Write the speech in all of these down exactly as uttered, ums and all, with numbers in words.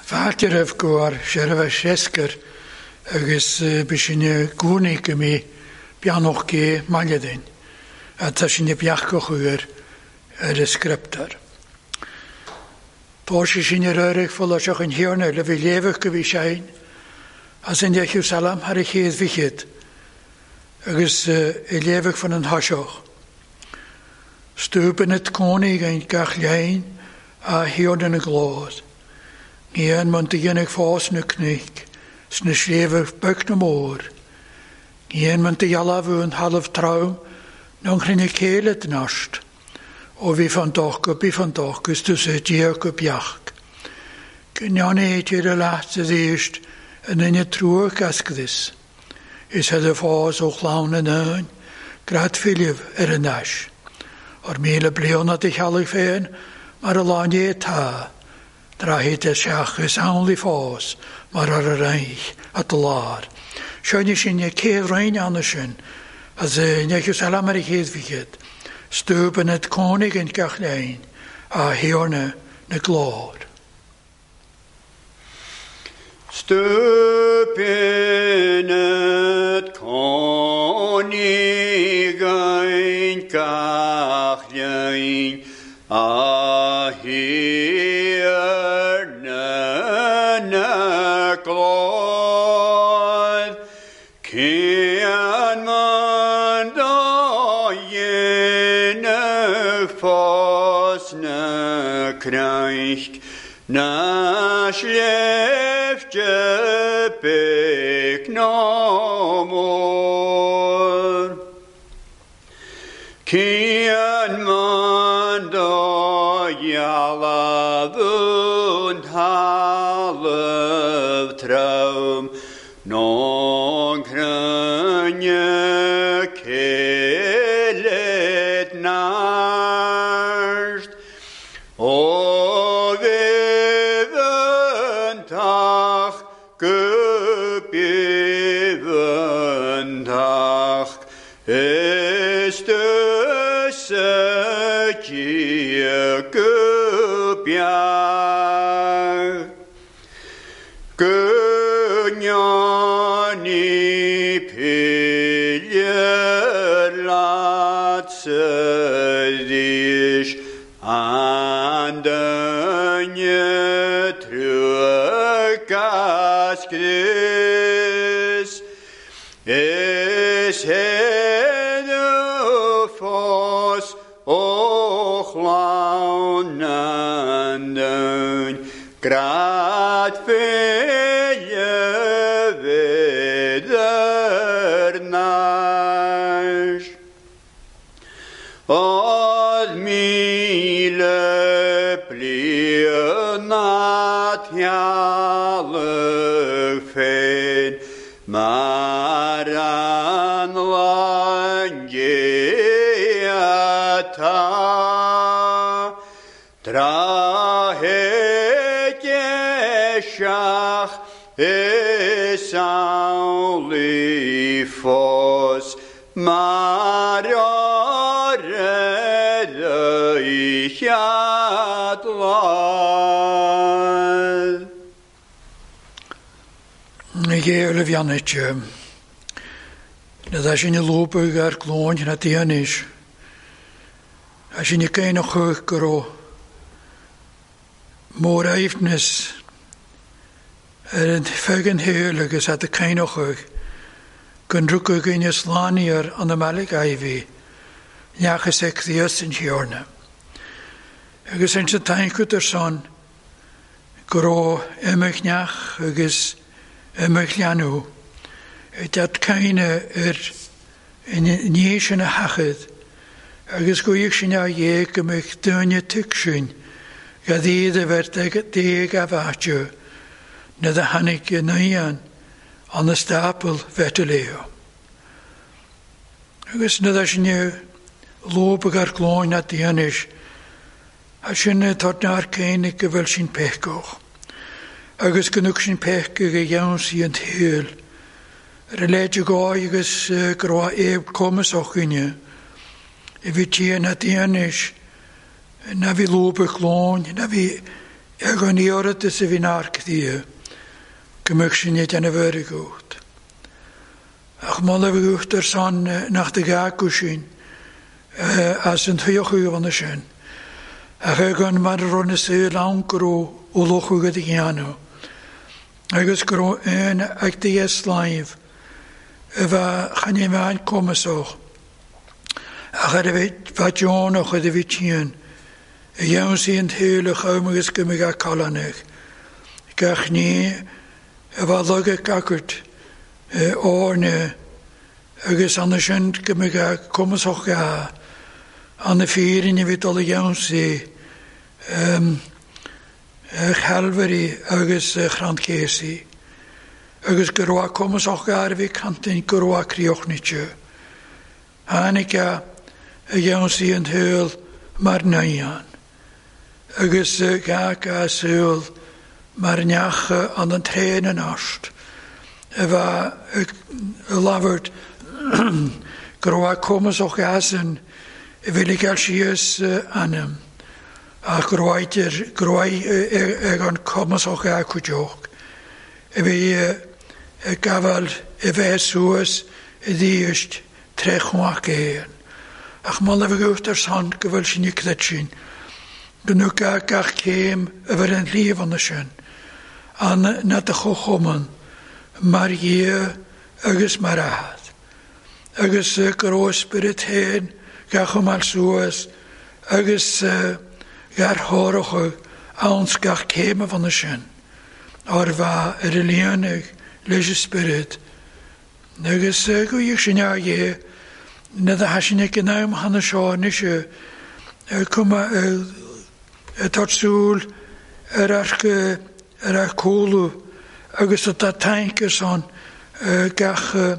Fáilte roimh go ar seirbhís seascair agus b'shin gcónaí go mí beannach gé mailidin atá sin beachach ar ar an scriptar. Tá sé sin ar éirigh follasach an thiarna le bhí léamh go bhí sein as an deichiú salam thar a chéad bhíchead agus i léamh fan an thaseach. Stúpan it cónaí gan gach léin a thiarna na glód. Ní an man do dhéanamh fás na cnoic sna sléibhe beag na mór. Ní an man do dhealbhú an thalamh trom nó an chruinne céile den ast. Ó bhí fan doch go bí fan doch gus tú sa Dia go beach. Go ndearna a leat sa éist an duine trúach ascadis. Is head a fás ó chlann an ain, grad filibh ar an ais. Ar míle bliana de cheallaigh féin mar a láine tá. Drahit is seach is anli fás mar ar a reich at lár. Seo sin e céad rein anna sin as neichiú salam ar a chéad bhíchead. Stúpan it cónaí an gach léin a thiarna na glór. Stúpan it cónaí an gach léin a thiarna na glór. Cén man do dhéanamh fás na cnoic na sléibhte beag ná mór. Cén man do dhealbhú an thalamh trom nó an chruinne céile nast. Ó bhíomhantach go bíomhantach is tú sa Dia go beach. Go ndearna pille leat sa dhís an duine trúach ascris. Is héadú fós ó chlann an dúin grad féile bhíodar nais. Od míle bliana teallach féin mar an láinge atá. Tráth seach is anli fós mar ar chead lá. Géle bheannaite. Na dá sin i lóbadh ar glóin na déanis. A sin i céin a chuach go raibh mór aifnis ar an fegan héil agus at a céin a chuach gon rugadh gine slániar an amálig aibhí neachas ag Críost an Thiarna. Agus an sa taincut ar son go raibh imach neach agus imach leanú dat caine ar ní sin a hachad agus go íoch sin a dhéag go mbeadh duine tuig sin gad iad a bheith déag a bhaite na da tháinig i naíon an na stapal bheith leo. Agus na da sin lóbadh ar glóin na déanis Sin tá nar céine go bhfuil sin pecoch. Agus go sin pecha go dheansaí an tsaoil. Ar a leide gáid agus go raibh éab cumasach chuine. I bhí tían na déanis na bhí lúbach lóin, na bhí ag an iarratas a bhí narcthí, go mbeadh sin iad ana bhfuirgeacht. Ach moladh bheadh ar son nach de gach sin as an tuíochú sin. Ach ag an mar a raibh na saol ann go raibh ó lochú go dhéanamh. Agus go raibh aon ag dé sláimh a bheith chan é bheith cumasach. Ach ar a bheith deonach a bhí tían, a dhéansaí an tsaoil a chum agus go mbeadh calanach. Gach ní a bheith lagach gacairt áirne agus anna sin go mbeadh cumasach ga anna fírinne bhí dul a dhéansaí Chalvary agus Chrandcésaí. Agus go raibh cumasach ga a bhí cantain go raibh críochnite. Tháinig a dhéansaí an tsaoil mar naíon. Agus gach a saol mar neach an an tréan an ast. A bheith labhairt go raibh cumasach gasan a bhí le síos ainm. Ach go raibh go raibh ag an cumasach ga cuideoch. A bhí ag gabháil a bheith suas i ddíoist tre chumach éan. Ach moladh bheadh ar son go bhfuil sin i creid sin. Go nucha gach céim a bheith an líomhanna sin. An na de chochumann mar dhia agus mar athad. Agus go raibh spiorad féin gach chumáil suas agus gar thóracha anns gach céim a bhana sin. Ar bheith ar a líonadh leis an spiorad. Agus go dhéag sin a dhé na da hasinne go náim hanna seo nise cuma tá súil ar ar ar cólu agus tá taince son gach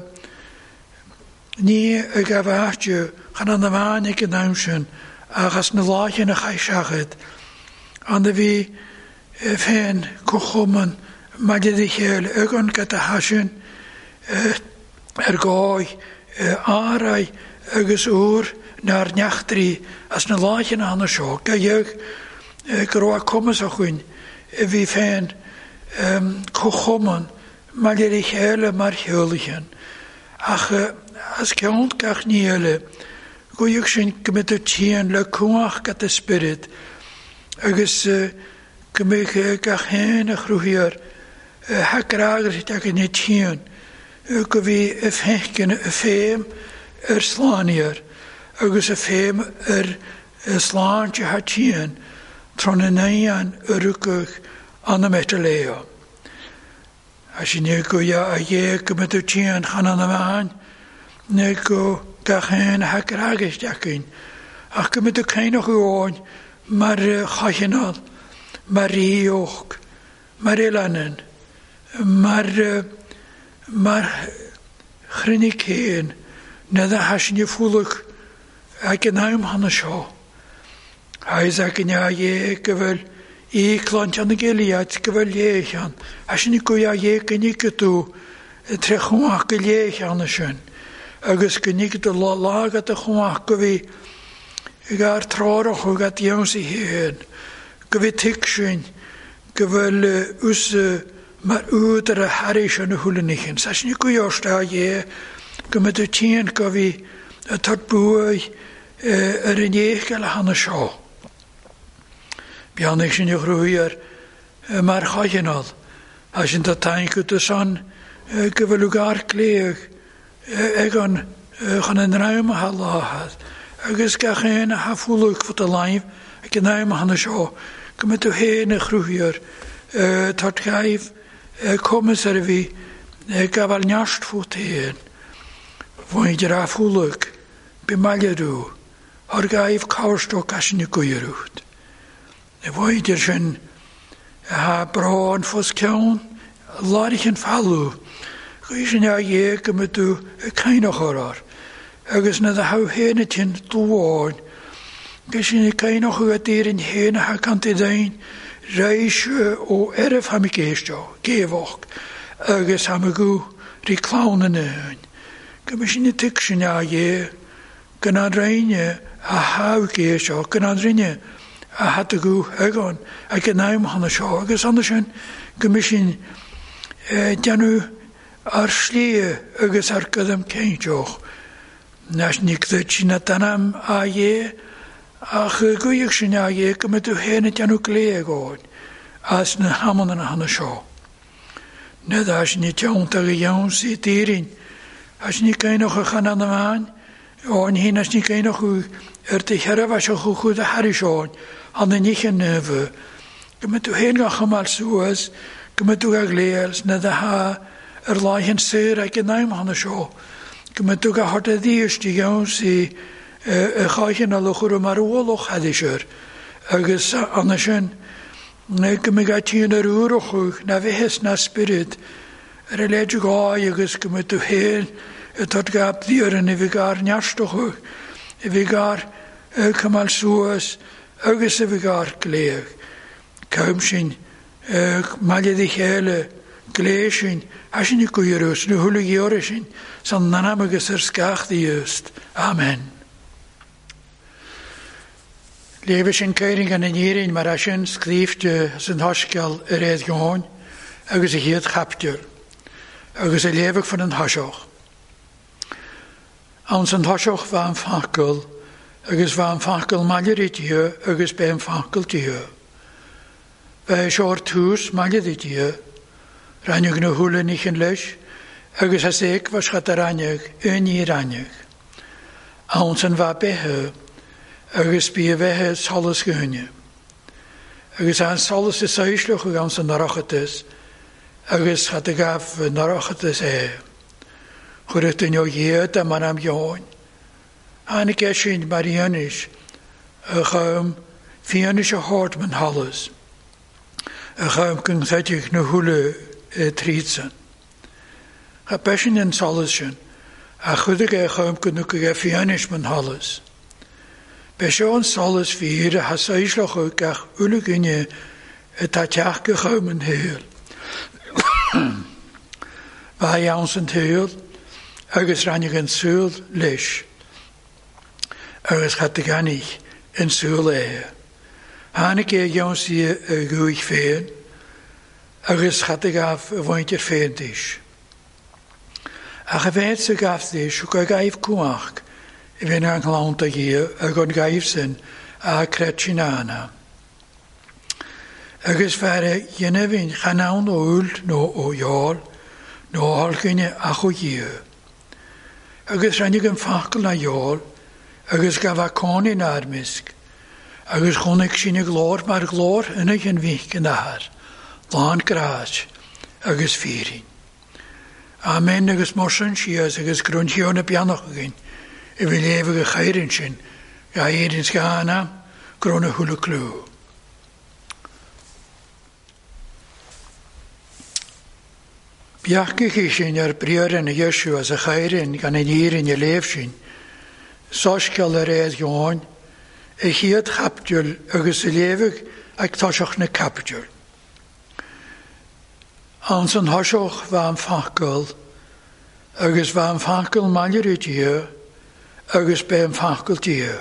ní a gabh áite chan an amháin ag an am sin agus na láithne a chaith an a bhí féin cochumann maidir le chéile ag an go hasin ar gáid áraí agus úr nár neachtraí as na láithne hanna seo go dhéag go raibh cumas chuin a bhí féin cochumann maidir le chéile mar sheolaithe. Ach as ceann gach ní eile, go dhéag sin go mbeadh tían le cumhach go spiorad agus go mbeadh gach haon a chruthaíor hagragairt ag an tían go bhí a fécin a féim ar sláníar agus a féim ar sláinte ha tían tron na naíon a rucach an na metaleo. A sin go a dhé go mbeadh tían chan an amháin na go gach haon hagragairt againn ach go mbeadh céineach amháin mar chachineál, mar ríoch, mar eileanan, mar mar chruinne céin na da hasinne fúlach ag an am hanna seo. Hais ag an dhé go bhfuil ícláint an Gilead go bhfuil léichan. Hasinne go dhé go níce tú tre chumach go léichan sin. Agus go níce do lága de chumach go bhí gar trárach go dhéansaí héin. Go bhí tuig sin go bhfuil us mar údar a tharis an na hulanichin. Sa sin go dheosta dhé go mbeadh tían go bhí a tart buaidh ar an éiceal hanna seo. Beannaigh sin a chruthaíor mar chachineál. A sin tá taince do san go bhfuil gar cléach ag an chun an dream a láthad. Agus gach aon a hafúlach fud a láimh ag an am hanna seo go mbeadh tú féin a chruthaíor tart gaibh cumas ar a bhí gabháil neart fút féin. Bhain a fúlach bí maillerú ar gaibh cabhairstoc as sin goireút. Na bhaidir sin ha brán fós ceann láirich an fallú. Go sin a dhé go mbeadh tú ag cainneach ar agus na da ha héine tin dúháin Gysyn cain o'ch ydy'r yn hen a chant i ddein, reis o erf ham i geistio, gefoch, agus ham y gw ri clawn yn yn. Gymysyn y tygsyn a ie, gyna'n reine a haw geistio, gyna'n reine a had y gw egon, a gyna'n hana sio, agus anna sin, gymysyn dyanw ar slie agus ar gydym ceintioch. Nas ni gydych na danam a ie, ach gwyach sy'n a ie, gymryd hen y dyanw gleag o'n, as na hamon yn hana sio. Nid as ni tiawnt ag iawn sy'n dyryn, as ni gainoch y chan an yma'n, o'n hyn as ni gainoch yr dy heraf as o'ch chwyd y haris o'n, ond yn eich yn nyfy. Gymryd hen gach yma'r sŵas, gymryd ag leels, nid a ha yr lai hyn syr ag yn aim hana sio. Gymryd ag hort y ddiys di iawn sy'n y chaichen a lwch o'r marwolwch hadisir, agus anna sin, gymryd a ti'n yr wrwch na fehes na spirit, yr eledig gai agus gymryd du hen, y tod gab ddiar yn i fi gar niarstoch, i fi gar cymal sŵas, agus i fi gar gleag. Cawm sin, mailid i chéile, glé sin, hasin i gwyrws, nu hwlwg i o'r sin, san nanam agus yr sgach ddiust. Amen. Lewe sin ceiring an yn mar sin sgrífte san thoscail yr ead gón agus a chéad chapter agus a léfach fan an thoiseach. Ann san thoiseach bha an facal agus bha an facal maille Dia agus bé an facal Dia. Bha é seo tús maille Dia, rannig na húla níchan leis agus as éag bha schat a rannig yn í rannig. Ann san bha bethe agus bí a bheithe solas gúine. Agus an solas is saoisleach ag an san narachatas, agus chat a gaf narachatas é. Chuirach duine ó dhéad a mar am dheoin. Tháinig é sin mar fhianaise a chum fianaise a thabhairt man halas, a chum go ngreidfeadh na húla trídsan. Cha beisin an solas sin, a chuidigh é chum go nucaigh é fianaise man halas. Be seo an solas fír a thasaoisleach gach uile gine atá teach go chum an shaol. Bha iawn san tsaol agus rannig an súil leis, agus chat a ganich an súil é. Tháinig é iawn sí a gúich féin, agus chat a gaf a bhaint ar féin dís. Ach a bheith sa gaf dís, go gaibh cuach, i bhíonn an ghlánta dhia ag an gaibh sin a creid sin anna. Agus fear a dhéanamh chan ann ó úll nó ó dheáil nó ó tholchaine ach ó dhia. Agus rinneadh an facal na dheáil agus gabh a cónaí na armisc, agus chonaic sin a glór mar glór ina an bhích an athair, lán grás agus fírin. Amen agus mar sin síos agus grúntíó na beannach againn, i bhí léamh a chairin sin, ga éireann scanna, grúna húla clú. Beachach í sin ar briar na Iesu as a chairin gan an éireann a léamh sin, soscail ar éad gheáin, a chéad chapdúil agus a léamh ag toiseach na capdúil. Ann san thoiseach bha an facal, agus bha an facal maille Dia, agus bé an facal Dia.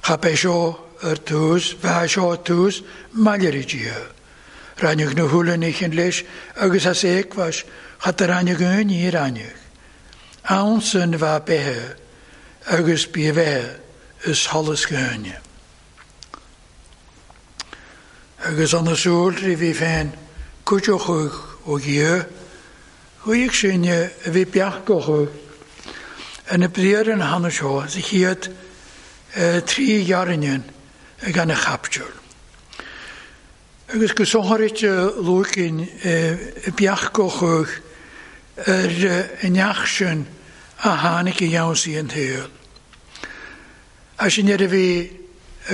Cha bé seo ar tús, bha seo ar tús, maille Dia. Rannig na húla níchan leis, agus as éagmhais, chat a rannig aon ní rannig. Ann san bha bethe, agus bí a bheithe is solas gúine. Agus an na súil trí bhí féin, cuideoch ó Dhia, chuaigh sin a bhí beachach yn y briar yn hana seo, sa chéad trí ghearrainn ag an a chaptúr. Agus go sonthairit luaicín beachach ar an neach sin a tháinig i gheansaí an tsaoil. A sin ar a bhí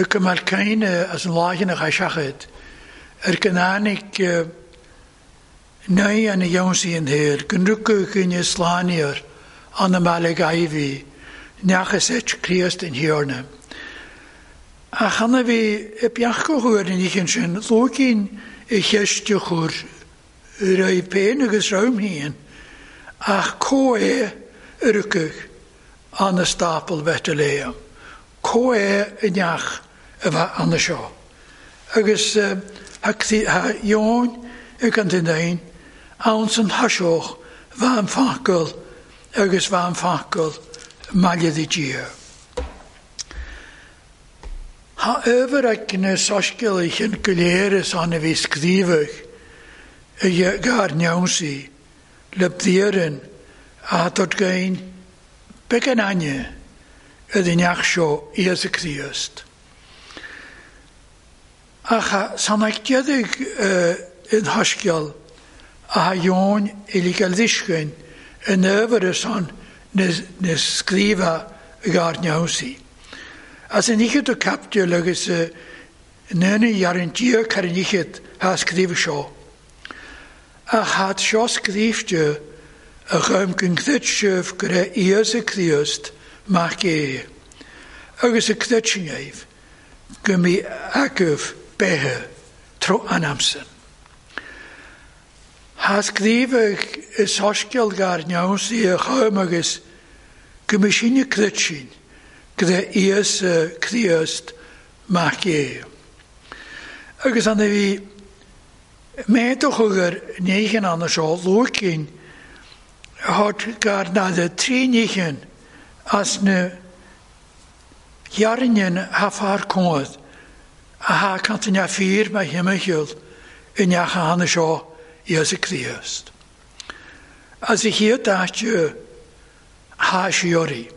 go mbeadh caine as an láicheanach a seachad, ar go n-tháinig naoi an gheansaí an tsaoil, go nrugadh chuine slánaíor an na mbealach aibhí, neachas eit Críost in thiarna. Ach anna bhí i beach go chuir in íchin sin, lócín i cheiste chur raibh péin agus raibh híon, ach có é a rucadh an stapel Bethlehem. Có é i neach a bheith anna seo. Agus ha Ión ag an duine ann san thaseoch bheith an facail agus bheith an facail maille di Dia. Ha över ag na soiscéalaithe sin go léir is ann a bhí scríobhadh i gar neamsaí le bliain a dod gain beag an aine i neach seo Íosa Críost. Ach san ag déadaigh in thaisceal a ha Ión uilig a liscain in över is an na scríobha i gar neamsaí. As an ichid o captiúil agus nuna ar an dia car an ichid ha scríobh seo. Ach had seo scríobhte a chuim gon gcruit sibh go raibh Íosa Críost mac é, agus a cruitsinnéibh go mbí agaibh beithe tro an amsan. Ha scríobhadh i soiscéal gar neamsaí a chuim agus go mbí sinne cruitsin go raibh Íosa Críost mac é. Agus an a bhí méid o chugur néchan anna seo lócin had gar nada trí néchan as na jarinjen ha far cód a ha kantin a fír ma himmechiel in neacha anna seo Íosa Críost. As i chéad áite ha siori.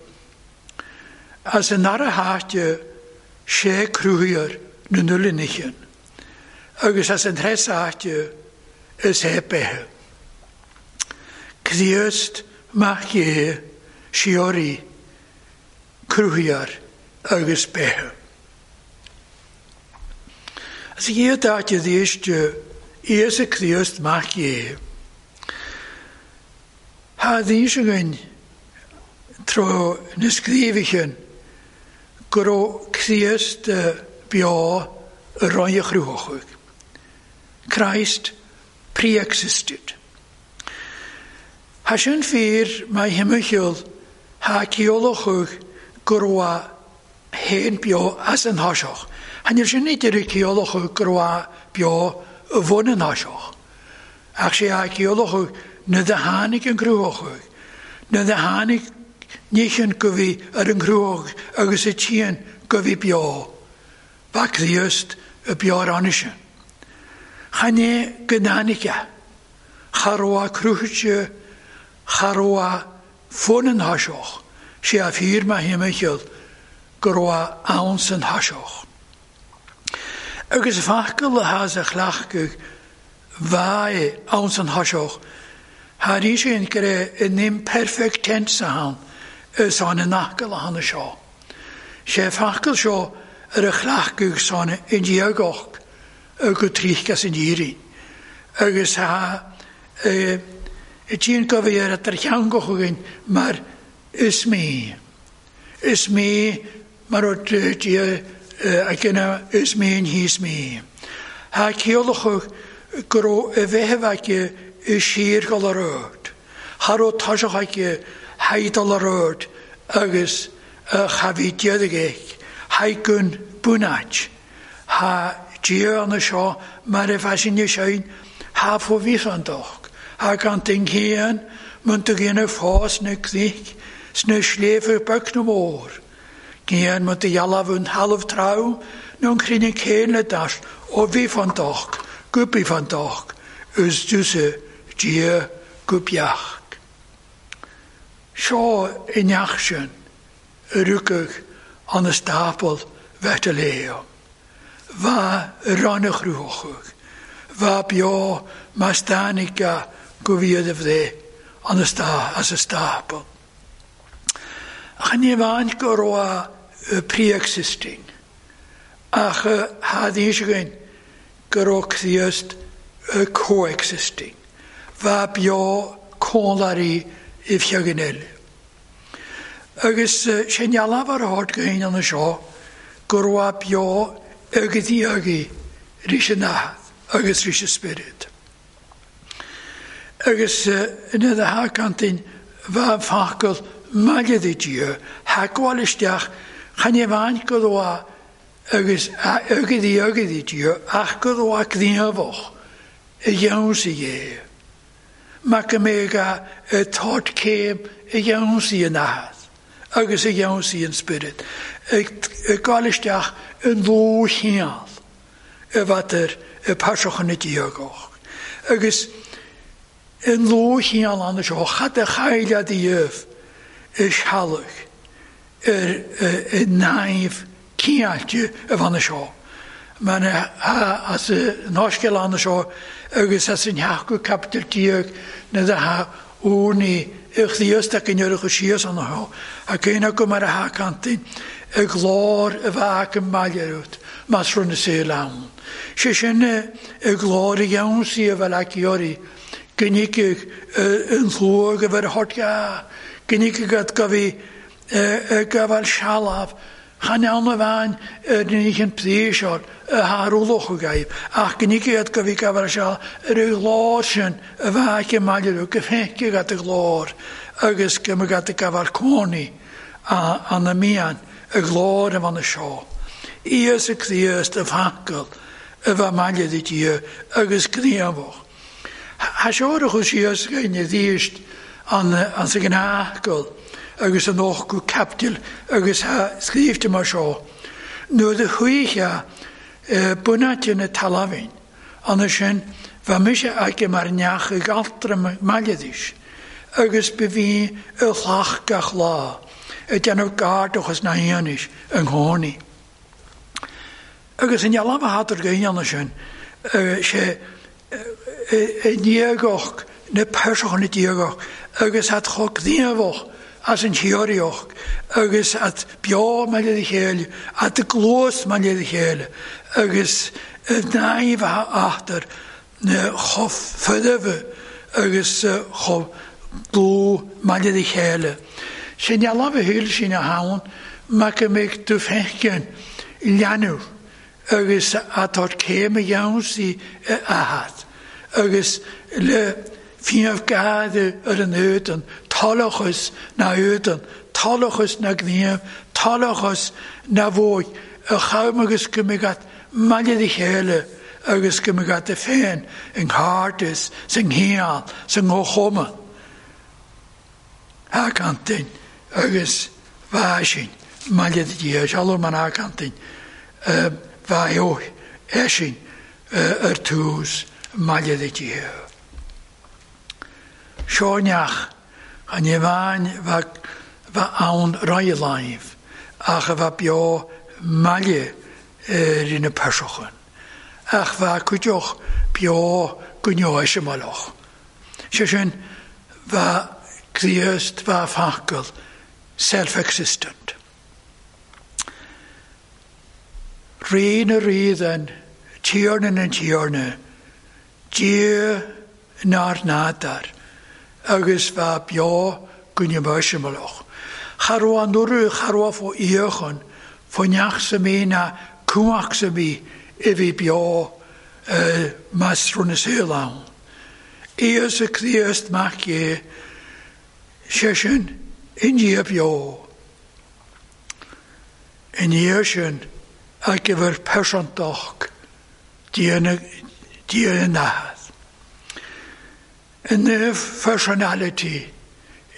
As an ara háite sé crúthair na nulinnichen. Agus as an tres áite is é bethe. Críost mac é siori crúthair agus bethe. As i chéad áite dhíiste Íosa Críost mac é. Ha dhís againn tro na scríobhaithe go raibh Críost beo i roinn a chruthóchaidh. Christ pre-existed. Ha sin fír má himmechiúil ha ceolachadh go raibh héin beo as an thaseach. Ha níl sin ní deireadh ceolachadh go raibh beo i bhun an thaseach. Ach sé ha ceolachadh na do tháinig an cruthóchaidh, na do tháinig níchan go bhí ar an gcruthóch agus a tían go bhí beo. Ba Críost y beo ar anise. Chan é go náinice. Cha raibh a cruthaite, cha raibh a fón an thaseach. Sé a fír má himmechiúil go raibh ann san thaseach. Agus facail a has a chleachtadh bhae ann san thaseach, ha rí sin go raibh in imperfect tense ann is an in acail a hanna seo. Sé facail seo ar a chleachtadh san in diagoch go tríchas in dírin. Agus ha i tín go bhí ar ar cheangoch againn mar is mé. Is mé mar ó dia a gcinne is mé an híos mé. Ha ceolachadh go raibh a bheith aici i sír go ar ard. Cha raibh taseach aici haidal ar ard agus cha bhí déadaigh ag. Haidh bunáit. Ha Dia anna seo mar a bheith sin ha fó bhí an doch. Ha gan ding héan mun do ghéanamh fás na cnoic sna sléibhe beag na mór. Géan mun do dhealbh an thalamh trom nó an cruinne céin le das ó bhí fan doch, go bí fan doch, is dúsa Dia go beach. Seo i neach sin a rucadh an stapel Bethlehem. Bha ranna chrúthóchaidh. Bha beo má stánica go bhíad a bhreith an stá as a stapel. Ach ní bhain go raibh pre-existing. Ach ha dhís againn go raibh Críost coexisting. Bha beo cónlairí i bhfeagan eile. Agus sin ealbh ar a háit go haon anna seo go raibh beo agus agaí ris an Athair agus ris an Spiorad. Agus ina a thacantain bheith focal maille de Dia, thagmháil isteach chan é bhain go raibh agus agaí agaí Dia ach go raibh gníomhach i gceansaí é. Mar go mbeidh a tabhairt céim i gceansaí an Athair agus i gceansaí an Spiorad, ag gabháil isteach i ndlúthcheangal a bheith ar phearsacha na diagach. Agus i ndlúthcheangal ann seo, cad a chailleadh díobh i sealbh ar i naimh cineáilte a bheith seo. Mar as an Soiscéal ann seo agus as an sheachtú caibidil déag na datha úrnaí i Chríost a gcineálacha síos an seo, a céanna go mar a thacantain i glór a bheadh i mbaile ort más rud na saol ann. Sé sin i glór a gheansaí a bheith aici oraibh, go n-íocfadh an shlua a bheith ar thort ga, go n-íocfadh go bhí gabháil sealbh, chan ann a bhean ar an oíche pléisiúr a tharlódh agaibh, ach go n-íocfadh go bhí gabháil sealbh ar an ghlór sin a bheadh aici i mbaile ort, go bhfeicfeadh agat a ghlór agus go mbeadh agat ag gabháil cónaí an a mian a ghlór a bheith seo. Íosa Críost a focal a bheith maille de Dia agus gníomhach. Tha seo a chur síos againn arís an sa ghnáthscéal agus an ochtú caibidil agus tha scríobhte mar seo. Nuair a chuaigh bunáite na talmhain, ann sin bheadh mise aici mar neach ag altra maileadís, agus ba bhí i ghlach gach lá, ag déanamh gairdachas na haonis an chónaí. Agus an ealamh a thadar gaoine ann sin, sé i ndiagach na peirseacha na diagach agus at chomh gníomhach as an theoraíocht agus at beo maille a chéile, at gluas maille a chéile agus naimh a achtar na chomh foirfe agus chomh dlúth maille a chéile. Sin ealamh a thuill sin a thabhann mar go mbeidh tú féin leanúint agus atá céim a gheansaí a athad agus le fiamh gada ar an éadan, talachas na éadan, talachas na gníomh, talachas na bhóigh, a cham agus go mbeidh agat maille a chéile agus go mbeidh agat féin in gcairdeas, sa nghiall, sa ngóchuma. Thacantain agus bheadh sin maille de Dhia, sealbh mar thacantain bheadh eisin ar tús maille de Dhia. Seo neach an bhean bheith ann raidh ach a bheith beo maille ar ina peirseachan. Ach bheith cuideach beo go neoisimeallach. Sé sin bheith Críost bheith focal self-existent. Rí na rídan, tiarna na tiarna, Dia nár nádar, agus bheith beo go neoisimeallach. Cha raibh an urú, cha raibh fó íochan, fó neach sa mí na cumhach sa mí i bhí beo más rud na saol ann. Íosa Críost mac é, sé sin i ndiaidh beo. I ndiaidh sin a gibhar pearsantach Dia na Athair. In the personality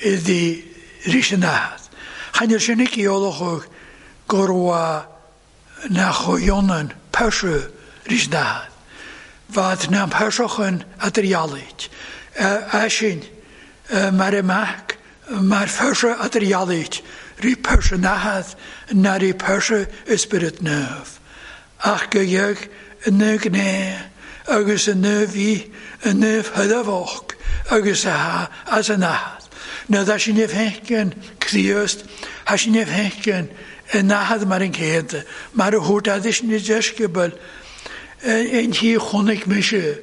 i the ris an Athair. Chan sin ag eolach go raibh nach ionann peirse ris an Athair. Bhad na peirseachan a dtriallaid. Eisin mar i mac, mar pheirse a dtriallaid, rí peirse an Athair na rí peirse i Spiorad Naomh. Ach go dheag na gné agus an bhí an thuireamhach agus a as an Athair. Na dá sin fhéicin Críost, tha sin fhéicin an Athair mar an céanta, mar a thabhairt adis na deisceabail in tí chonaic mise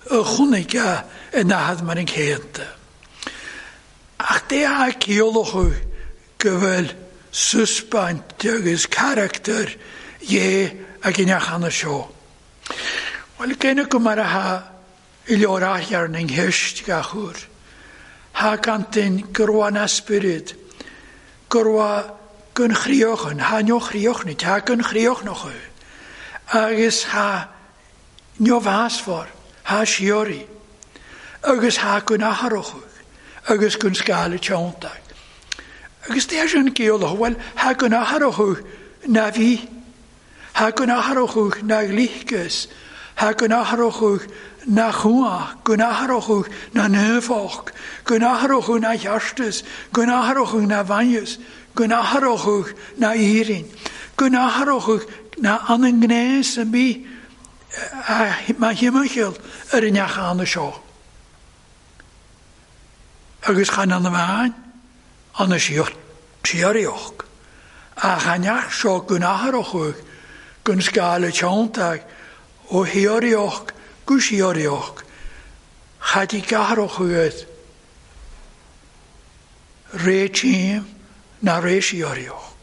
a chonaic a an Athair mar an céanta. Ach dé a ciallach go bhfuil suspaint agus carachtar Dhé ag an neach anna seo. Bhuel, cé go mar a tha i leor athchearn an cheist gach uair. Tha cantain go raibh an spiorad, go raibh gon chríochan, tha neochríochnait, tha gon chríochnach agus tha neomheasfar, tha síoraí, agus tha gon athrach agus gon scála teanntach. Agus tá sin ciallach, bhuel, tha gon athrach na bhí, tha gon athrach na glíchas, tha gon athrach na chuach, gon athrach na neufach, gon athrach na cheartas, gon athrach na bhainneas, gon athrach na éirinn, gon athrach na an an gnéas a bhí má thimcheall ar an neach anna seo. Agus chan an bhain an na síoraíoch. Ach an neach seo gon athrach gon scála teanntach ó shíoraíoch go síoraíoch, chad i gcathrach uait ré tím na ré síoraíoch.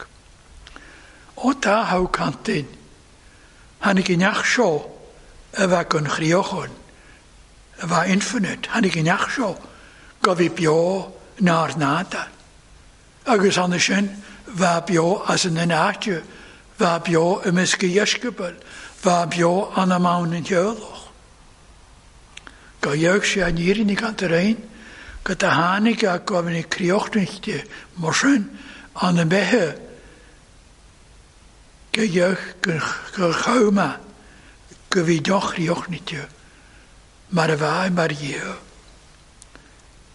Ó tá thá cantain, tháinig an neach seo a bheith gon chríochan, a bheith infinite, tháinig an neach seo go bhí beo nár nada. Agus anna sin bheith beo as an áite, bheith beo i measc a dheisceabail, bheith beo an amán an teaghlach. Go dheag sé an fhírinne gan tar aon, go do tháinig a go bhí críochnaíte mar sin an na beithe go dheag go chumha go bhí deochríochnaíte mar a bheith mar Dhia.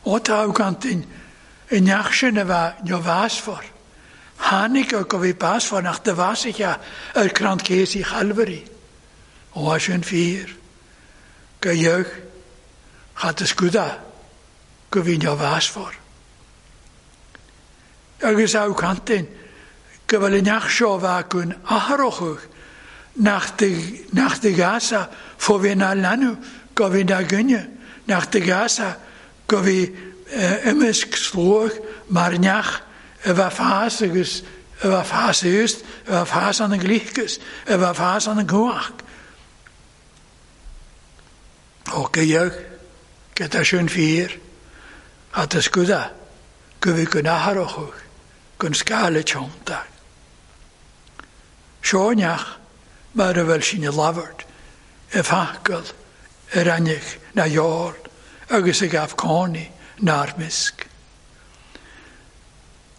Ó tá gantain i neach sin a bheith neomheasfar. Tháinig go bhí básfar nach de bhásaithe ar crann céasaí Chalvary. Ó sin fíor. Go dheag chat is guda go bhí neomheasfar. Agus á cantain go bhfuil an neach seo bheith gon athrach nach de, nach de gasa fó bhí na leanú go bhí na gcoinne, nach de gasa go bhí imeasc sluach mar neach a bheith fás agus a bheith fás úst, a bheith fás an an glíchas, a bheith fás an an gcuach. Ó go dheag, go tá sin fíor, chat is guda, go bhí gon athrach gon scála teanntach. Seo neach mar a bhfuil sin i labhairt, i bhfacal, ar ainneach na dheol, agus ag gabh cónaí nár misc.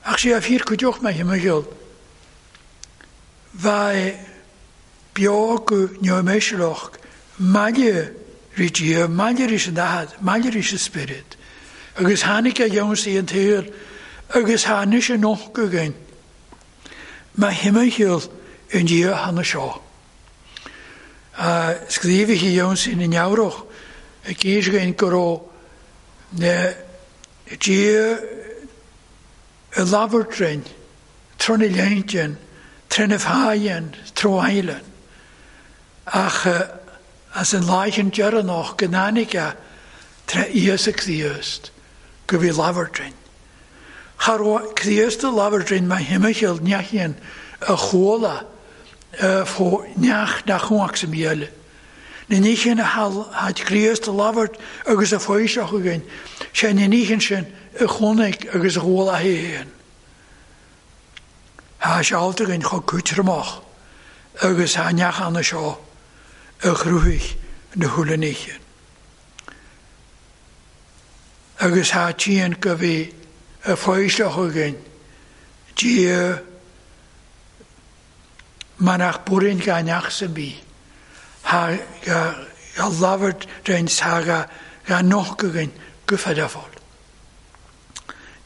Ach sé a fíor cuideoch mé thimcheall, bheith beo go neomhéisealach, maille rí Dia, maille rís an daichead, maille rís an spiorad. Agus tháinig a dheonsaí an tsaol, agus tháinig sé noch againn. Má thimcheall an Dia hana seo. Scríobhaithe dheonsaí na neabhrach, ag éisgein go raibh na Dia i labhairt trína léintean, trína fáidhean, tróailean. Ach as an láichean deireanach go n-tháinig a tré Íosa Críost go bhí labhairt. Cha raibh Críost a labhairt má thimcheall neachain a chuala fó neach nach chuach sa míle. Na níchin a had Críost a labhairt agus a foiseach againn, sé na níchin sin a chonaic agus a chuala héin. Thá sé alt againn chomh cútramach agus thá neach anna seo a chruthaigh na húlla níchin. Agus thá tían go bhí a foiseach againn, Dia mar nach burin ga neach sa bí. Thá ga labhairt rein thá ga ga noch againn go fadafol.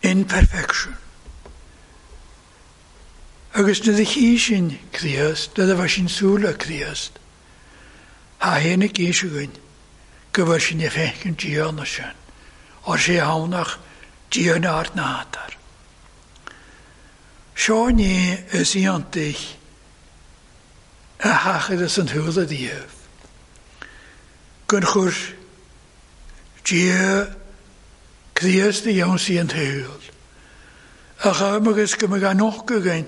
In perfection. Agus na chí sin Críost, na bheith sin súla Críost, thá héanaigh éis againn go bhfuil sin i féchan Dia na sin, or sé hánach Dia na ard na hátar. Seo ní is iontaigh a thachad as an thuala díobh. Gun chuir Dia Críost a dheonsaí an tsaol. A chum agus go mbeadh noch againn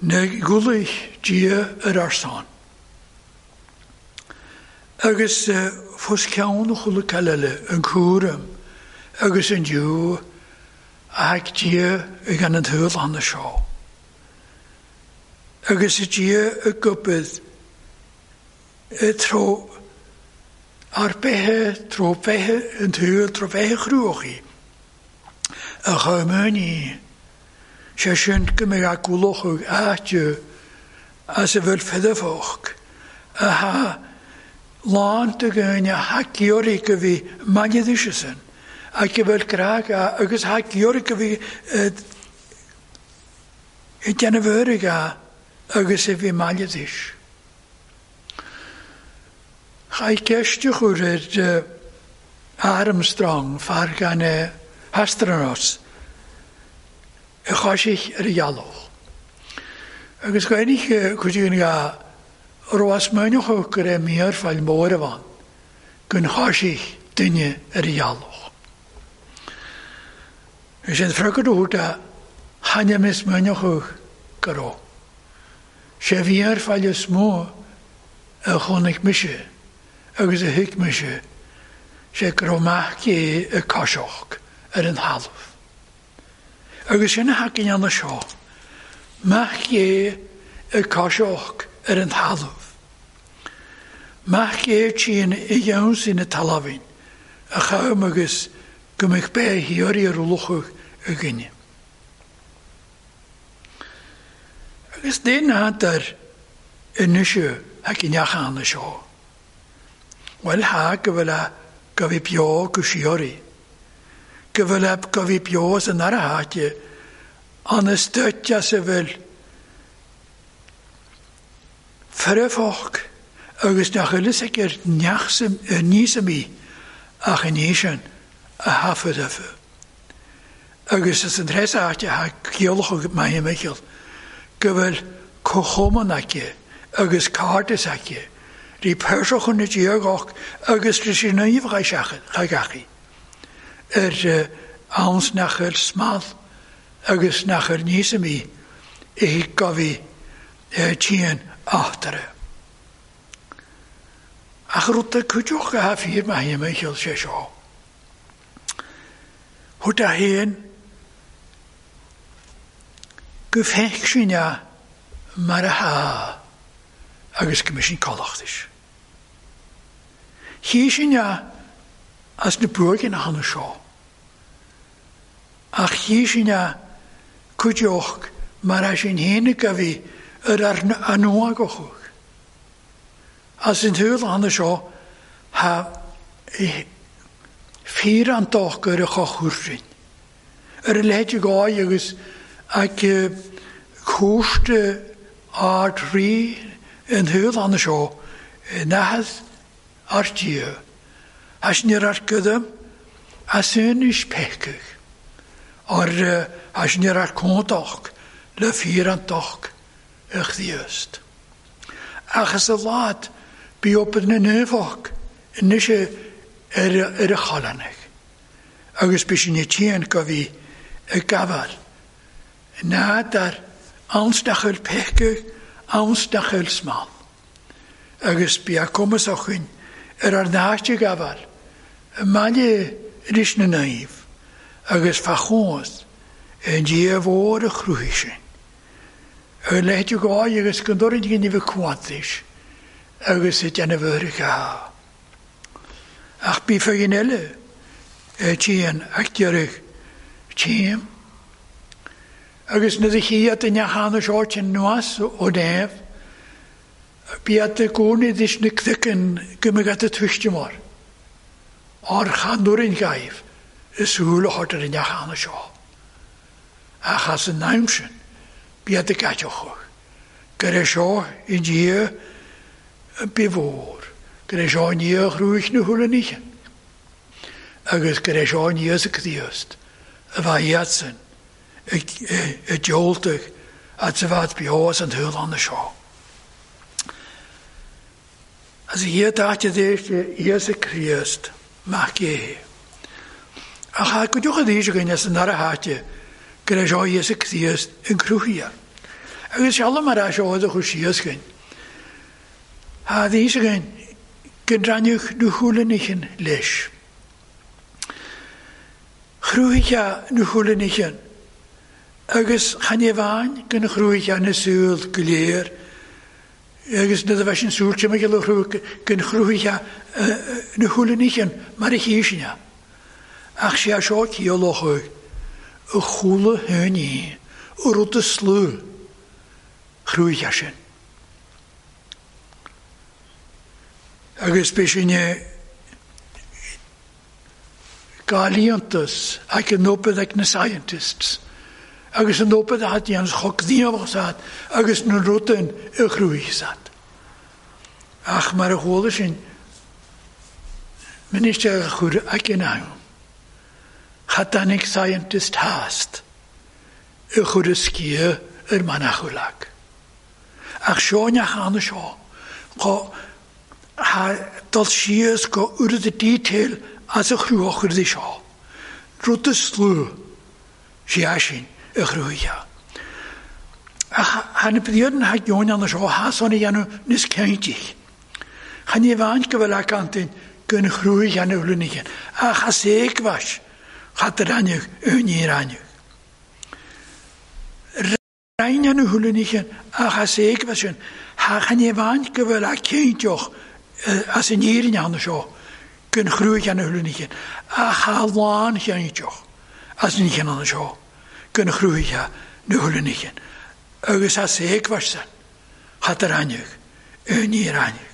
Na gulaich Dia ar ár son. Agus fós ceann chuile eile an cúram agus an dew a thac Dia ag an an tsaol anna seo. Agus i Dia a gobad i tro ar bethe, tro bethe an tsaol, tro bethe chruachaí a chuimhní. Sé sin go mbeidh a gcualachadh áite as a bhfuil fidifeach a ha lán de dhaoine thacaíoirí go bhí maighdise sin, ach go bhfuil grá agus thacaíoirí go bhí ag déanamh uirthi agus a bhí maighdis. Chaith ceist a chur ar Armstrong, fear gan astronaut, a chaith ar a ghealach. Agus gainig chuid ga raibh smaoineach go raibh mír fáil mór amháin, gun chaith duine ar a ghealach. Is an freagra a thabhairt a cheana mé smaoineach go raibh. Sé mhír fáil is mó a chonaic mise agus a thuig mise, sé go raibh mac é ag caiseach ar an thalamh. Agus sin a thacaíonn anna seo, mac é ag caiseach ar an thalamh. Mac é trín i gceann na talamhain a chum agus go mbeadh beith thiar ar luchadh a gine. Agus dén nátar anois thacaíonn anna seo. Bhuel ha go bhfuil a go bhí beo go sióirí. Go bhfuil a go bhí beo san ara háite an stoite as a bhfuil firfach agus nach bhfuil fhios ag ar níos a mí ach in éisean a thaifead acu. Agus is an treis áite a ceolach maith Michael go bhfuil comhchumann aici agus cairdeas aici. Rí perseach na diagach agus rí sí naomh chachaí. Ar ans nach ar smal agus nach ar níos a mí i gabhí tían achtara. Ach rud a cuideoch a fíor maith Michael sé seo. Thug a haon go feic sin a mar a há agus go mbeidh sin callachtais. Chí sin a as na buaigin a hana seo. Ach chí sin a cuideoch mar a sin héanaig a bhí ar ar anúagachuch. As an tsaol hana seo ha fíor an dách ar a chochurin. Ar a leithéid gáí agus ag cúiste ard rí an tsaol hana seo nahas ar Dia. Has níor ar gudam as is pecach. Ar has níor ar cóntach le fíor an dách a chdiast. Ach as a lad bí op na neufach anois ar ar a chalanach. Agus bí sin tían go bhí ag gabháil. Nádar ansdachel pecach, ansdachel smal. Agus bí a cumas a chuin ar ar náiste gabháil. Maille ris na naomh agus fachóns an Dia mhór a chruthaigh sin. Ar leithéid gáí agus go ndóirín go nimh cuantais agus i déanamh uirthi. Ach bí fagin eile tían ach deireadh tím. Agus na chiad in neachána seo sin nuas ó déamh, bí at y gcónaí dis na cdican go mbeidh at y tuiste mar. Ar chan gaibh is súil a chur ar an neachána seo. Ach as an naim sin, bí at y gateoch. Go raibh seo i Dia bí mhór, go raibh seo i Dia chrúich na húla níche. Agus go raibh seo i Íosa Críost a bheith iadsan i dioltach at sa bheith beo as an tsaol anna seo. As a hiad áite d'éiste Íosa Críost mac é. Ach a go diocha d'éis againn as an ara háite go raibh seo Íosa Críost in cruthaithe. Agus sealla mar a seo a chu síos gin. Ha ddís again gyndraniwch nhwhwlenichen leis. Chrwycha nhwhwlenichen. Agus chan e fain gyn chrwycha na sŵl glir. Agus na dda sin sŵl ti'n gael chrwy gyn chrwycha nhwhwlenichen mar y chysina. Ach si a sio ciolochwg y chwla hynny y rwyd y slw chrwycha sin. Agus be sin gael ac yn nopad ac na scientists. Agus yn nopad at i ans chok ddiofach agus yn rwyd y chrwych. Ach mar y chwla sin minister a chwr ac yn awn. Chatanig scientist hast y chwr y sgia yr manachwlag. Ach sio neach anna sio. Ha dal síos go ur y detail as y chrwch ur sio. Rwyd y slw si asin y chrwycha. Ach han y byddiad yn hag ion anna sio ha son i anw nis cyntig. Chan i faint gyfel ac antyn gyn chrwych anw hlwynichen. Ach a seg fas chat yr anwg yn i'r anwg. Rhain anw hlwynichen ach a seg fas yn ha chan i faint gyfel ac cyntig as yn irin anna sio, gyn chrwych anna hlwynichen, a cha lân chianitioch, as yn ichen anna sio, gyn chrwych anna hlwynichen. Agus as eg varsan, chat yr anwg, yn i'r anwg.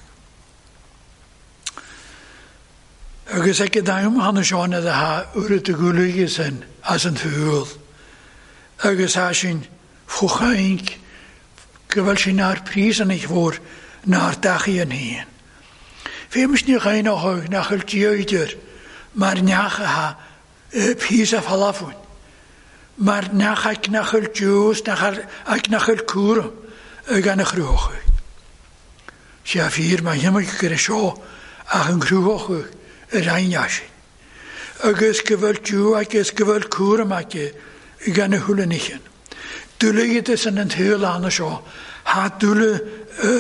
Agus ag ydym hanna sio na dda ha wrth y gwlygys yn as yn thŵl. Agus ha sy'n ffwchainc, gyfel sy'n ar pris yn eich fawr, na'r dachi yn hyn. Fémys ní ghainach nach yw'r dioidir, mae'r neach ha pys a falafwn. Mae'r neach ac nach yw'r diws, ac nach yw'r cwrwm y gan y chrwch. Si a ffyr mae hymwyd gyda sio ac yn chrwch yr ein asin. Agus gyfel diw ac ys gyfel cwrwm ac y gan y hwlenichen. Dwlygydys yn yn thyl anna sio, ha dwle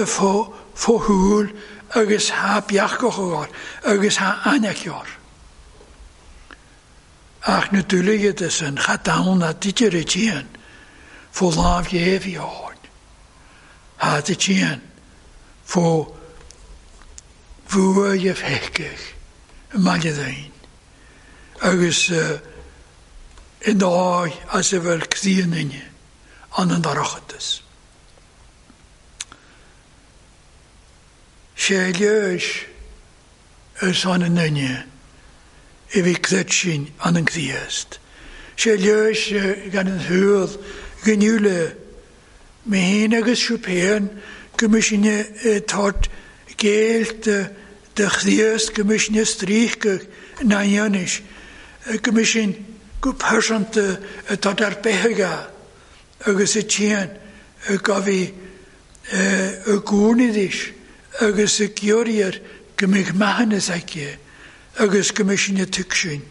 ffo hwyl, agus ha biachgoch o'r, agus ha anachior. Ach na dwlygydys yn chadawn a didyr y tîn, fo laf iefi o'r. Ha dy tîn, fo fwy ef hecach, y malydd ein. Agus yn doi as y fel cddyn inni, an yn darachadys. Sé leis ys an yn yna i fi cddetsin an yn cddiast. Sé leis gan yn hwyl gynnwle me hyn agus siwpen gymysyn tort geilt de chddiast gymysyn strych na ionis gymysyn go persant tort ar behaga agus y tîn gafi y gwrnidis agus y gyorier gymig mahanes aici, agus gymysyn y tygsyn,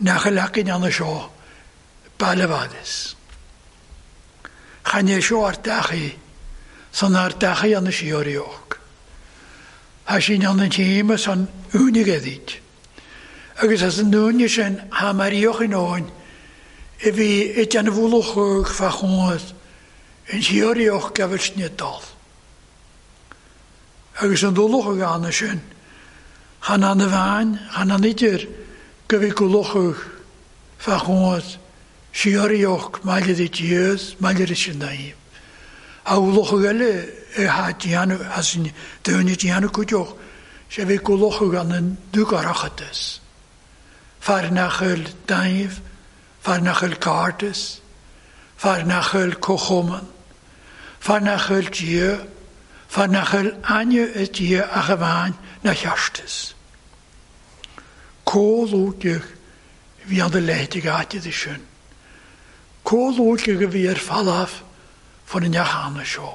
nach y lacyn anna sio, balafadus. Chan e sio ar dachi, son ar dachi anna siorioch. Ha sy'n anna tîm son unig eddid. Agus as yn unig sy'n ha marioch yn oen, e fi ydian fwlwch o'r ffachwyd, yn siorioch gafel snedol. Agus yn ddwlwch o gan y sy'n, chan an y fain, chan an idyr, gyfi gwlwch o'ch, ffachwyd, siorioch, maelydd i diedd, maelydd i sy'n daim. A wlwch o gyle, e ha dianw, a sy'n dyn i dianw cwdioch, se fi gwlwch o gan yn dwgarachadus. Farnachel daif, farnachel cardus, farnachel cochoman, farnachel dieu, farnachel anu y dieu ach y fain na chiastus. Cólwgych fi an y ledig atydd ysyn. Cólwgych fi ar falaf fan yn iach sio.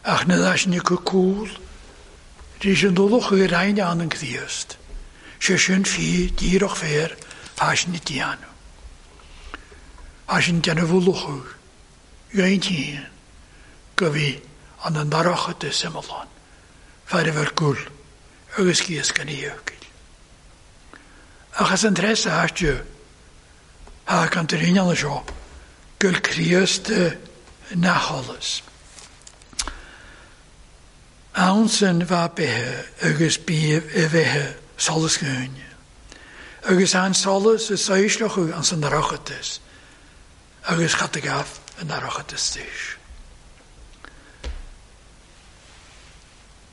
Ach na ddas ni cwcwl, rhys yn ddwlwch i'r ein an yn cddiast. Se sy'n ffi, diroch fer, fas ni dianw. As yn dianw fwlwch gain tîn. go bhí an an dorchadas iomlán, fear a bheith gúil agus cíos gan íocail. Ach as an treis áite, ha kan ter inanna seo, gul Críost na sholas. Ansan bha bethe agus bí a bheithe solas gúine. Agus an solas is saoisleachú an san dorchadas, agus chat a gaf an dorchadas tíis.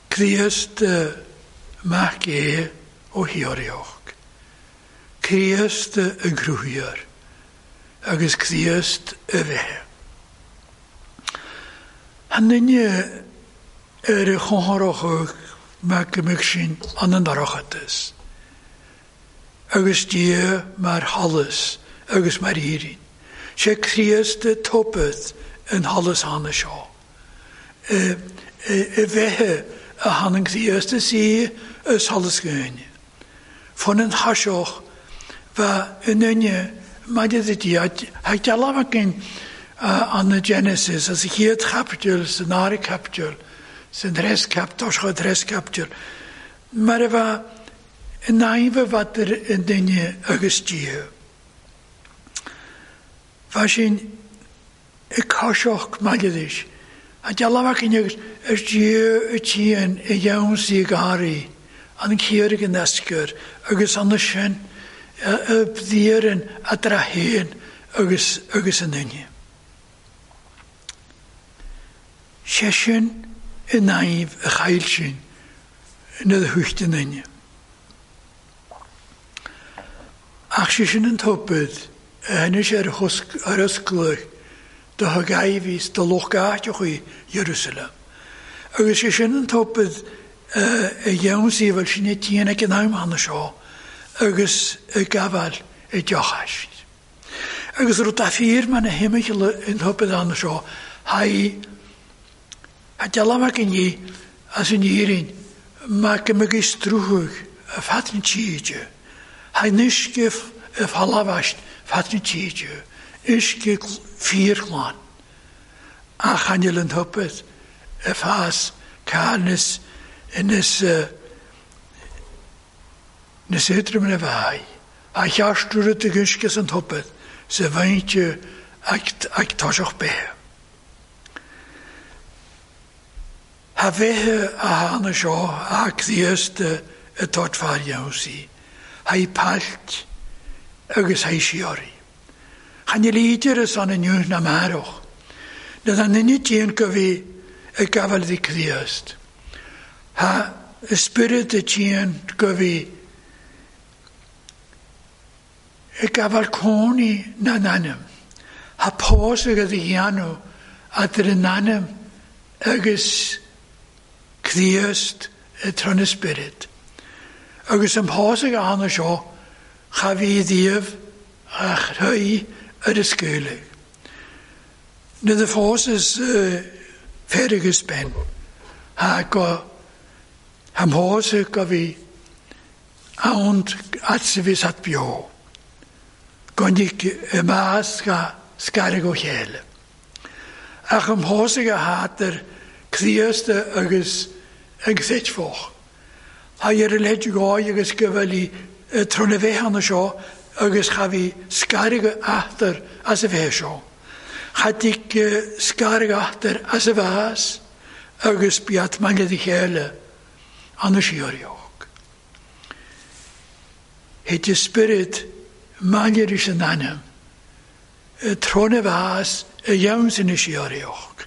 Críost mac é ó Hiorioch. Críost y grwhiar, agus Críost y bheithe. Han duine ar y chonthorach mac ymwch sin an an dorchadas. Agus Dia mar halas agus mar írin. Sé Críost y topeth yn halas hanna seo. Y bheithe a han an Críost y si ys halas gwyne. Fon yn hasioch fa yn unne maidir de Dia ha dealbh an na Genesis as a chéad chapitail san ára capitail san tres capitail seo tres capitail mar a bha in naimh bhaidir in duine agus Dia. Bha sin i caiseach maidir a dealbh agus is Dia y tían i iawn si gari an chéir an esgur agus an sin y bdíaran a drahén agus agus an duine. Sé sin i naimh a chail sin na thucht an duine. Ach sé sin an topad a hinnis ar ar osclach do thug do loch áiteach Jerusalem. Agus sé sin an topad a dheon bhfuil sin i tían ag an am hanna seo agus y gafal y deochais. Agus rud a ffyr ma'n y hymych yn topad hanna seo hai ha dealbh yn i as yn irin ma gymryd strwch y fadn tíide. Hai nysgif y phalafast fadn tíide. Ysgif ffyr glan. A chanil yn topad y ffas cael nes nes nes ydrym yn y fai. A chiastur y dygysgys yn topad se faint ag, ag tosioch behe. Ha bheithe a hána seo a Críost y tot far iawn si. Ha i palt agus ha i siori. Chan i lídir ys an yn yw'n na marwch. Na ddan unig dyn gyfi y gafel di Críost. Ha ysbryd y dyn gyfi y gafel coni na nanam. Ha pos ag ydi hianw a dyr nanam agus Críost y tron ysbryd. Agus yn pos ag anna seo cha fi ddiaf a chreu yr ysgwylig. Na the forces ferig ysben. Ha go ha mhos go fi aont atsifis at bio. Gondig y mas ga sgarig o chéle. Ach ym mhos ag a hater Críost agus ag sitfoch. Ha ir leid goi agus gyfel i tron y fehan seo agus cha fi sgarig achter as y fe seo. Chadig sgarig achter as y fas agus biat mangled i chéle an y siorioch. Het y spirit mangled is yn anam tron y fas y iawn sy'n y siorioch.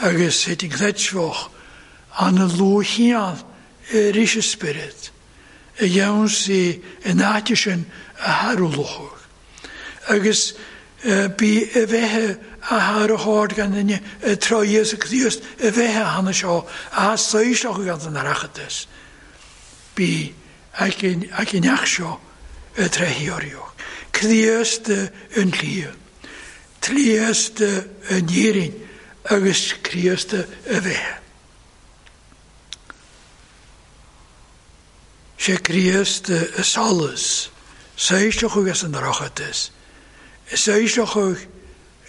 Agus het yn gledfwch an y lwchian yr is y spirit y iawn sy'n yn atysyn y harwlwch. Agus bi y fehe a har y hord gan y troi y Críost y fehe hanna seo a soisioch gan yn arachadus. Bi ac yn achsio y trehiorioch. Críost yn lli. Críost yn irin agus Críost y fehe. Sé Críost y solas, soisioch agus yn arachadus. Soisioch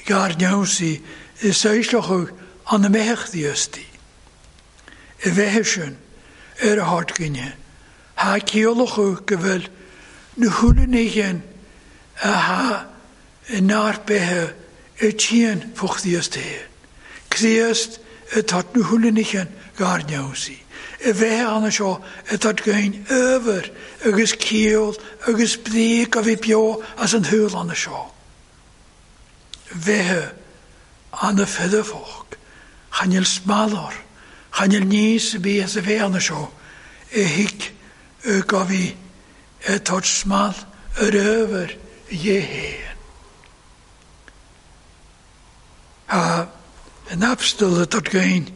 gar newnsi, soisioch an na mbeithíochtaí. I bheithe sin ar a hardgine, ha ciolachu go bhfuil na húlanéin a ha nár bethe i tían fuchtíocht. Críost atá na húlanéin garneosaí. I bheithe anna seo atá gain över agus ciol agus bríc a bhí beo as an húl anna seo. Bheithe anna fidefoch, chanil smalor, chanil níos bí as a bheith anna seo, i hic go bhí atá smal ar över dhéhéan. Ha an abstal atá gain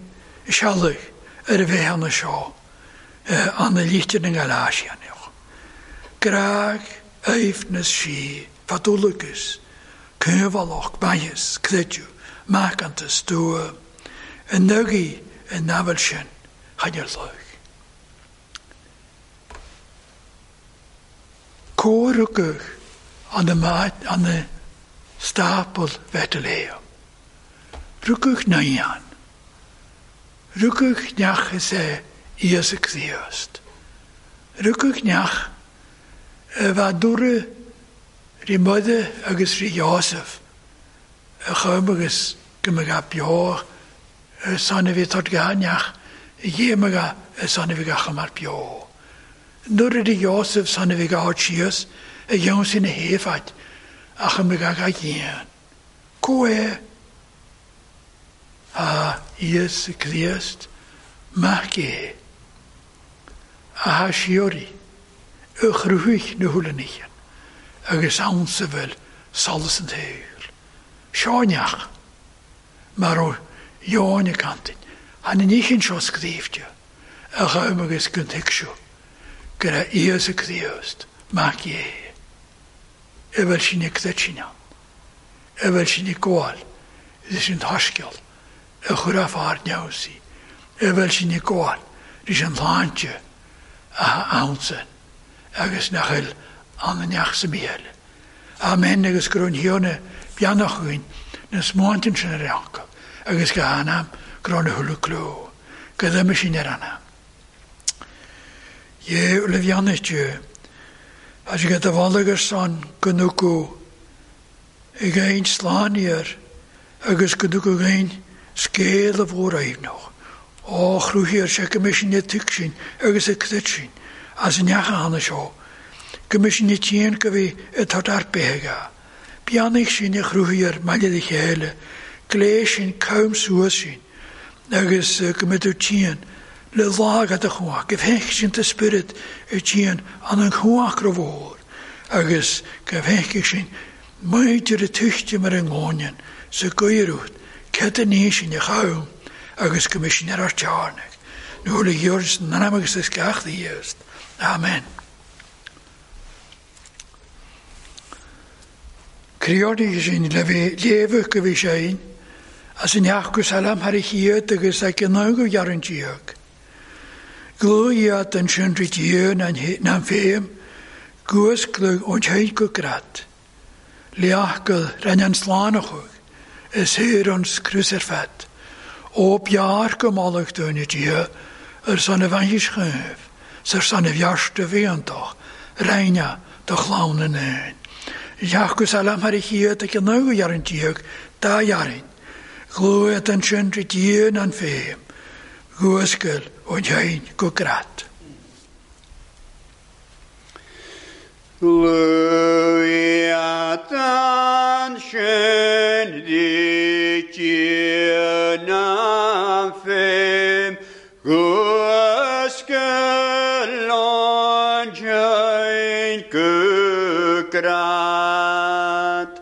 sealach ar a bheith anna seo, anna líchtir na Galatianach. Graag eifnes sí, fatúlagus, cúnvalach, baiis, creidú, macantas, dua, an nugi an nabhal sin, chanir luig. Córuguch an na stapel Bethlehem. Ruguch naían. Ruguch neach is é Íosa Críost. Ruguch neach a bheith dúra rí Muide agus rí Jósef a chum agus go mbeadh beo san a bhí tart neach a dhéamaga san a bhí gach mar beo. Nuair a rí Jósef san a bhí gach síos a dhéan sin na héifead ach a mbeadh gach dhéan. Có é a Íosa Críost mac é a ha siori a chrúich na húlaníchan agus ansa bhfuil solas an tsaoil. Seoneach mar ó Jóin a cantain, han an níchin seo scrífte a chum agus go dtuigsiú go raibh Íosa Críost mac é. I bhfuil sin ag creitinnean, i bhfuil sin ag gabháil leis an taisceal a chur a fear neamhsaí, i bhfuil sin ag gabháil leis an sláinte a ansan agus nach bhfuil an neach sa míle. Amen agus go raibh an Thiarna beannach againn na smáintean sin ar eancail agus go anam go raibh na húla cló, go dtuime sin ar anam. Dhé le bheannacht as go do bhalagus san go nucú ag aon slániar agus go nucú aon scéal a mhór aimhneach. Ó chrúthaíor sé go mbeidh sin na tuig sin agus a cruit sin as an neacha anna seo, go mbeidh sin na tían go bhí atá ar beithe. Beannaigh sin a chrúthaíor maille de chéile, glé sin cam suas sin agus go mbeidh tú tían le lágad a chuach, go bhfeicfidh sin ta spirit i tían an an chuach go mhór, agus go bhfeicfidh sin maidir a tuichte mar an ngóinean sa gcuireadh, cad a ní sin a cham agus go mbeidh sin ar ár tearnach. Nuair a ghearr an anam agus is gach dhíost. Amen. Criordaigh sin le bhí léamh go bhí sé as an neach go salam thar a chiad agus ag an go ghearr tíoch. Glúiad an sin rí tír na féim, guasclug ón teint go grat. Leachgal rinne an slánachuig, is thuir an scrús ar fad. Ó bhearr go mallach dúinne Dia ar son a bhainchis chuimh, sar son a bhearsta bhéantach, reine do chlann na n-éin. Jeach salam thar a chiad ag an go ghearr tíoch dá ghearrain. Glúiad an sin rí tír na féim, guascail ón teint go grat. Glúiad an sin rí tír na féim, guascail ón teint go grat.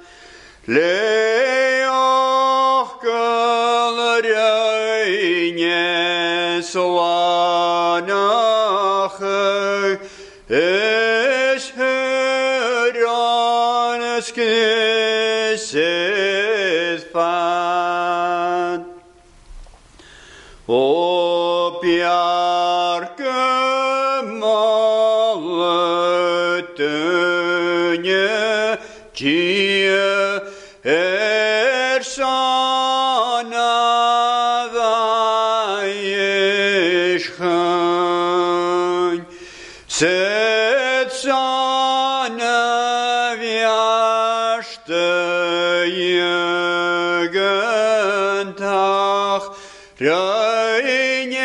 Leochgal reine slánach is thuir an scris is fad. Ó bhearr go mallach dúinne Dia ar son a Sut son y fiasty gyntach, rhaid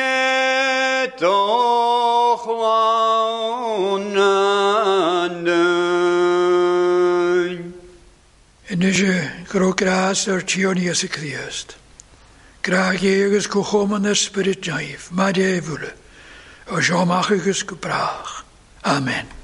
doch lawn yn Anois go raibh grás ár Tiarna Íosa Críost, grá Dhé agus comhchumann an Spioraid Naoimh, mar é bhualadh, ó seo amach agus go brách. Amen.